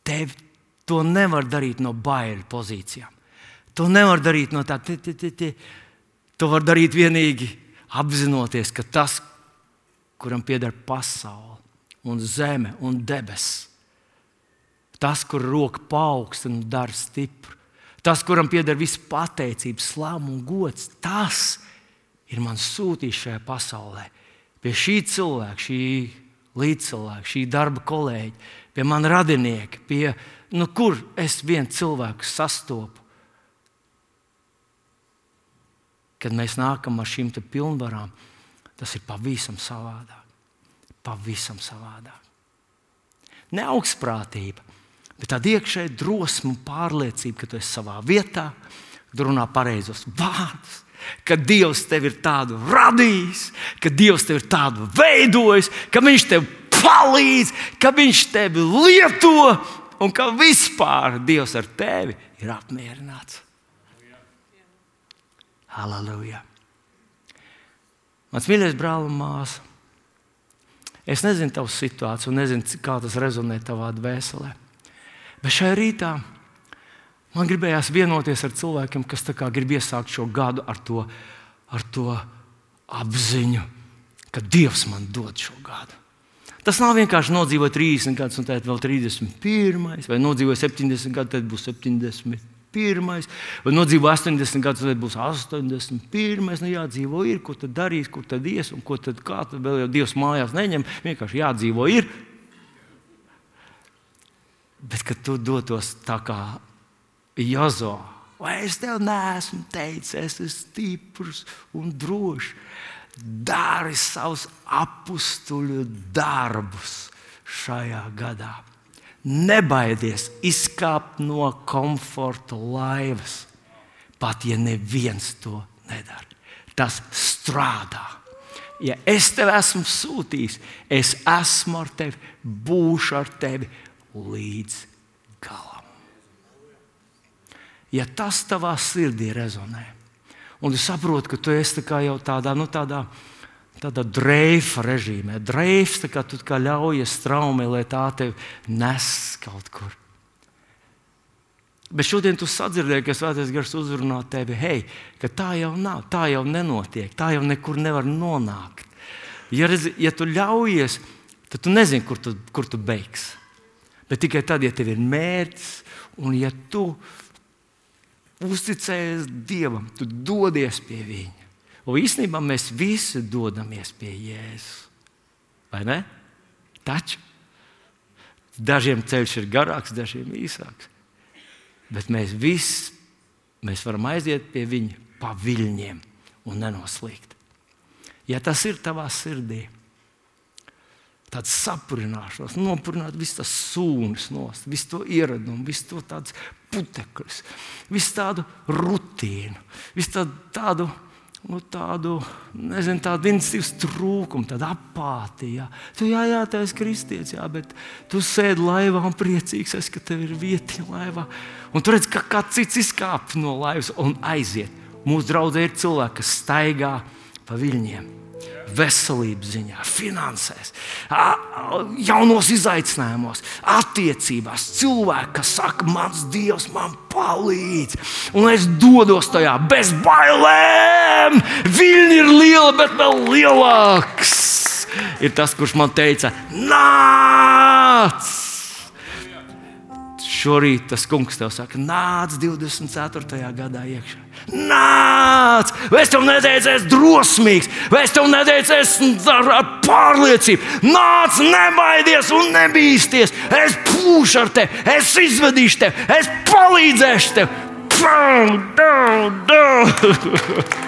Tev to nevar darīt no baiļu pozīcijām. To nevar darīt no tā, te, te, te, te. To var darīt vienīgi apzinoties, ka tas, kuram pieder pasaule un zeme un debesis, tas, kur roka paaugsta un dara stipru, tas, kuram pieder visa pateicība, slāma un gods, tas ir mans sūtījis šajā pasaulē. Pie šī cilvēka, šī līdzcilvēka, šī darba kolēģa, pie man radinieka, pie, nu, kur es vienu cilvēku sastopu. Kad mēs nākam ar šīm pilnvarām, tas ir pavisam savādāk. Pavisam savādāk. Ne augstprātība, bet tāda iekšēja drosme un pārliecība, ka tu esi savā vietā, kad runā pareizos vārdus, ka Dievs tevi ir tādu radījis, ka Dievs tevi ir tādu veidojis, ka Viņš tev palīdz, ka Viņš tevi lieto un ka vispār Dievs ar tevi ir apmierināts. Halleluja! Mans mīļais brāl un māsa, es nezinu tavu situāciju, nezinu, kā tas rezonē tavā dvēselē. Bet šajā rītā man gribējās vienoties ar cilvēkiem, kas tā kā grib iesākt šo gadu ar to, ar to apziņu, ka Dievs man dod šo gadu. Tas nav vienkārši nodzīvot trīsdesmit gadus, un tad vēl trīsdesmit pirmais, vai nodzīvot septiņdesmit gadus, tad būs septiņdesmit pirmais, vai nodzīvot astoņdesmit gadus, tad būs astoņdesmit pirmais. Nu, jādzīvo ir, ko tad darīs, kur tad ies, un ko tad kā, tad vēl jau Dievs mājās neņem, vienkārši jādzīvo ir. Bet, kad tu dotos tā kā Jozo, vai es tev neesmu teicis, es esmu stiprs un drošs, dari savus apustuļu darbus šajā gadā. Nebaidies izkāpt no komforta laivas, pat ja neviens to nedara. Tas strādā. Ja es tev esmu sūtījis, es esmu ar tevi, būšu ar tevi līdz galam. Ja tas tavā sirdī rezonē, un tu saproti, ka tu esi tā kā jau tādā, nu, tādā, tādā dreifa režīmē, dreifs, tā kā tu kā ļaujies straumē, lai tā tevi nes kaut kur. Bet šodien tu sadzirdēji, ka Svētais Gars uzrunā tevi, hei, ka tā jau nav, tā jau nenotiek, tā jau nekur nevar nonākt. Ja, ja tu ļaujies, tad tu nezini, kur tu, kur tu beigsi. Bet tikai tad, ja tev ir mērķis, un ja tu uzticējies Dievam, tu dodies pie Viņa. Un īstenībā mēs visi dodamies pie Jēzus. Vai ne? Taču dažiem ceļš ir garāks, dažiem īsāks. Bet mēs visi mēs varam aiziet pie Viņa pa viļņiem un nenoslīgt. Ja tas ir tavā sirdī, tāds sapurināšanās, nopurināt visu tās sūnas nost, visu to ieradumu, visu to tāds putekļus, visu tādu rutīnu, visu tādu, tādu, nu, tādu, nezinu, tādu iniciatīvas trūkumu, tādu apātiju. Jā. Tu, jā, jā, tu esi kristietis, jā, bet tu sēdi laivā un priecīgs esi, ka tev ir vietiņa laivā. Un tu redz, ka kāds cits izkāp no laivas un aiziet. Mūsu draudzē ir cilvēki, kas staigā pa viļņiem. Veselības ziņā, finansēs, jaunos izaicinājumos, attiecībās. Cilvēki, kas saka, mans Dievs man palīdz, un es dodos tajā bez bailēm. Viļņi ir liela, bet vēl lielāks ir tas, kurš man teica, nāc! Šorīt tas kungs tev saka, nāc divdesmit ceturtajā gadā iekšā. Nāc! Vai es tev neteicu, es drosmīgs, vai es tev neteicu, es ar, ar pārliecību. Nāc, nebaidies un nebīsties. Es pūšu ar tevi, es izvedīšu tevi, es palīdzēšu tev. Pau, dau, dau.